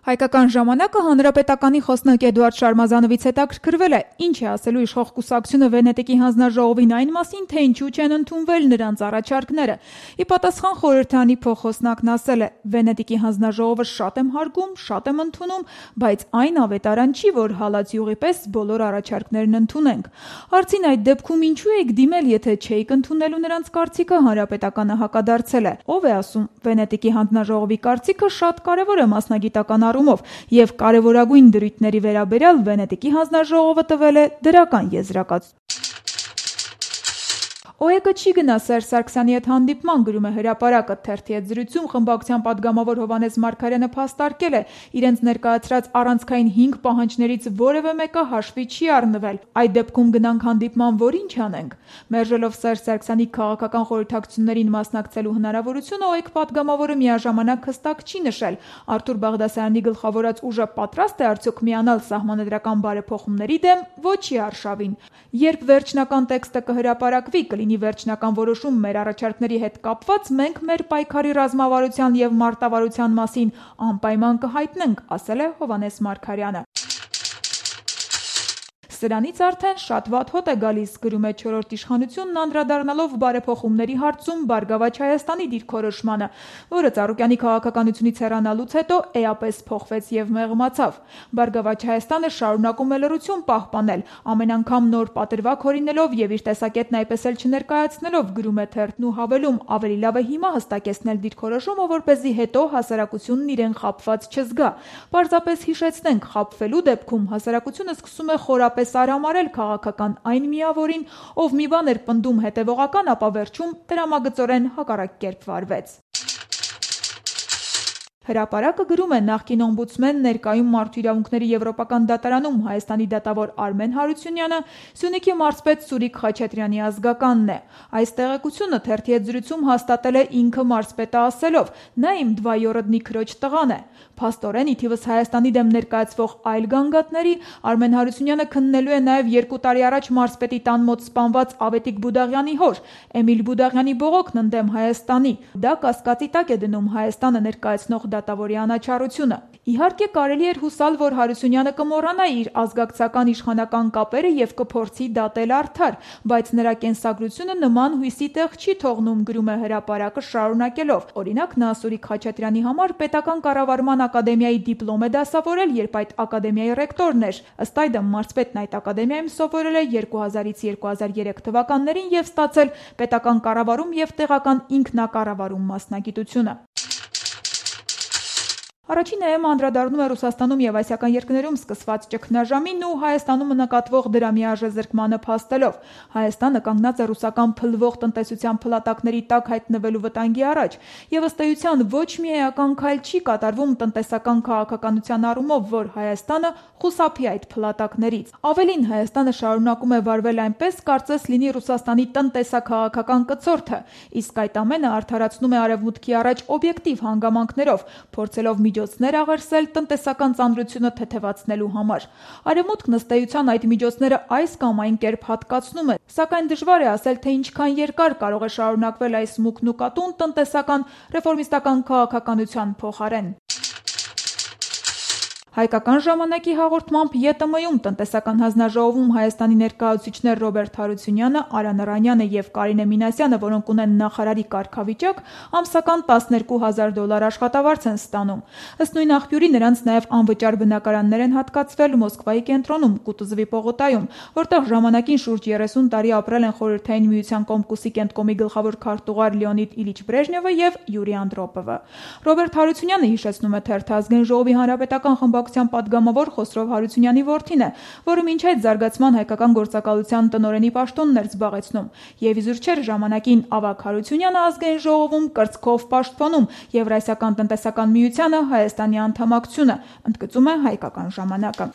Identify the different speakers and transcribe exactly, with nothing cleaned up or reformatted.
Speaker 1: Հայկական ժամանակը հանրապետականի խոսնակ Էդուարդ Շարմազանովից հետաքրքրվել է, ինչ է ասելու իշխող կուսակցությունը Վենետիկի հանձնաժողովին այն մասին, թե ինչու չեն ընդունվել նրանց առաջարկները։ Ի պատասխան խորհրդարանի փոխխոսնակն ասել է. Վենետիկի հանձնաժողովը շատ եմ հարգում, շատ եմ ընդունում, բայց այն ավետարան չի, որ հալած յուղի պես բոլոր առաջարկներն ընդունենք։ Հարցին այդ դեպքում ինչու եք դիմել, եթե չէիք ընդունելու նրանց կարծիքը, հանրապետականը հակադարձել է. ով է ասում, Վենետիկի հանձնաժողովի կարծիքը շատ կարևոր է մասնագիտական և կարևորագույն դրույթների վերաբերյալ Վենետիկի հանձնաժողովը տվել է դրական եզրակացություն։ ՕԵԿ-ը չի գնա Սերժ Սարգսյանի հետ հանդիպման, գրում է Հրապարակը, թերթի հետ զրույցում խմբակցության պատգամավոր Հովհաննես Մարգարյանը փաստարկել է, իրենց ներկայացրած առանցքային հինգ պահանջներից որևէ մեկը հաշվի չի առնվել։ Այդ դեպքում գնանք հանդիպման, որ ինչ անենք։ Մերժելով Սերժ Սարգսյանի քաղաքական խորհրդակցություններին մասնակցելու հնարավորությունը, ՕԵԿ պատգամավորը միաժամանակ հստակ չի նշել, Արթուր Բաղդասարյանի գլխավորած ուժը պատրաստ է արդյոք միանալ սահմանադրական բարեփոխումների դեմ, ոչի արշավին։ Երբ վերջնական տեքստը կհրապարակվի, կլինի վերջնական որոշում մեր առաջարկների հետ կապված, մենք մեր պայքարի ռազմավարության և մարտավարության մասին անպայման կհայտնենք, ասել է Հովհաննես Մարգարյանը։ Սրանից արդեն շատ վատ հոտ է գալիս, գրում է չորրորդ իշխանությունն, անդրադառնալով բարեփոխումների հարցում Բարգավաճ Հայաստանի դիրքորոշմանը, որը Ծառուկյանի քաղաքականությունից հեռանալուց հետո էապես փոխվեց և մեղմացավ։ Բարգավաճ Հայաստանը շարունակում է լռություն պահպանել, ամեն անգամ նոր պատրվակ հորինելով և իր տեսակետն այպես էլ չներկայացնելով, գրում է թերթն ու հավելում, ավելի լավ է հիմա հստակեցնել դիրքորոշումը, որպեսզի հետո հասարակությունն իրեն խաբված չզգա։ Պարզապես հիշեցնենք, խաբվելու դեպքում հասարակությունը սկսում է խորապես արամարել քաղաքական այն միավորին, ով մի բան էր պնդում հետևողական, ապա վերջում տրամագծորեն հակառակ կերպ վարվեց։ Հրապարակը գրում է նախկին օմբուդսմեն, ներկայում Մարդու իրավունքների եվրոպական դատարանում Հայաստանի դատավոր Արմեն Հարությունյանը Սյունիքի մարզպետ Սուրիկ Խաչատրյանի ազգականն է։ Այս տեղեկությունը թերթի հետ զրույցում հաստատել է ինքը մարզպետը ասելով. նա իմ դվայորոդնի քրոջ տղան է։ Փաստորեն, ի թիվս Հայաստանի դեմ ներկայացվող այլ գանգատների, Արմեն Հարությունյանը քննելու է նաև երկու տարի առաջ մարզպետի տան մոտ սպանված Ավետիք Բուդաղյանի հոր Էմիլ Բուդաղյանի բողոքն ընդդեմ Հայաստանի։ Դա կասկածի տակ է դնում Հայաստանը ներկայացնող դատավորի անաչառությունը։ Իհարկե կարելի էր հուսալ, որ Հարությունյանը կմոռանա իր ազգակցական իշխանական կապերը և կփորձի դատել արդար, բայց նրա կենսագրությունը նման հույսի տեղ չի թողնում, գրում է Հրապարակը շարունակելով։ Օրինակ, նա Սուրիկ Խաչատրյանի համար պետական կառավարման ակադեմիայի դիպլոմ է դասավորել, երբ այդ ակադեմիայի ռեկտորն էր։ Ըստ այդմ, մարզպետն այդ ակադեմիայում սովորել է երկու հազարից երկու հազար երեք թվականներին և ստացել պետական կառավարում և տեղական ինքնակառավարում մասնագիտությունը։ Առաջին էը-ն անդրադառնում է Ռուսաստանում և ասիական երկրներում սկսված ճգնաժամին ու Հայաստանում նկատվող դրա միաժամանակ փաստելով։ Հայաստանը կանգնած է ռուսական փլվող տնտեսության փլատակների տակ հայտնվելու վտանգի առաջ, և ըստ էության ոչ մի էական քայլ չի կատարվում տնտեսական քաղաքականության առումով, որ Հայաստանը խուսափի այդ փլատակներից։ Ավելին, Հայաստանը շարունակում է վարվել այնպես, կարծես լինի Ռուսաստանի տնտեսաքաղաքական կցորդը, իսկ այդ ամենը արդարացնում է Արևմուտքի առաջ օբյեկտիվ հանգամանքներով, փորձելով միջոցներ աղերսել տնտեսական ծանրությունը թեթևացնելու համար։ Արևմուտքն ըստ էության այդ միջոցները այս կամ այն կերպ հատկացնում է, սակայն դժվար է ասել, թե ինչքան երկար կարող է շարունակվել այս մուգն ու կատուն տնտեսական ռեֆորմիստական քաղաքականության փոխարեն։ Հայկական ժամանակի հաղորդմամբ ԵՏՄ-ում տնտեսական հանձնաժողովում Հայաստանի ներկայացուցիչներ Ռոբերտ Հարությունյանը, Արա Նռանյանը և Կարինե Մինասյանը, որոնք ունեն նախարարի կարգավիճակ, ամսական տասներկու հազար դոլար աշխատավարձ են ստանում։ Ըստ նույն աղբյուրի, նրանց նաև անվճար բնակարաններ են հատկացվել Մոսկվայի կենտրոնում, Կուտուզովի պողոտայում, որտեղ ժամանակին շուրջ երեսուն տարի ապրել են Խորհրդային Միության Կոմկուսի Կենտկոմի գլխավոր քարտուղար Լեոնիդ Իլիչ Բրեժնևը և Յուրի Անդրոպովը։ Ռոբերտ Հարությունյանը, հիշեցնում է թերթը, Ազգային ժողովի հանրապետական խմբակցության պատգամավոր Խոսրով Հարությունյանի որդին է, որը մինչ այդ զարգացման հայկական գործակալության տնօրենի պաշտոնն էր զբաղեցնում, և իզուր չէր ժամանակին ավագ Հարությունյանը Ազգային ժողովում կրծքով պաշտպանում Եվրասիական տնտեսական միությանը Հայաստանի անդամակցությունը, ընդգծում է Հայկական ժամանակը։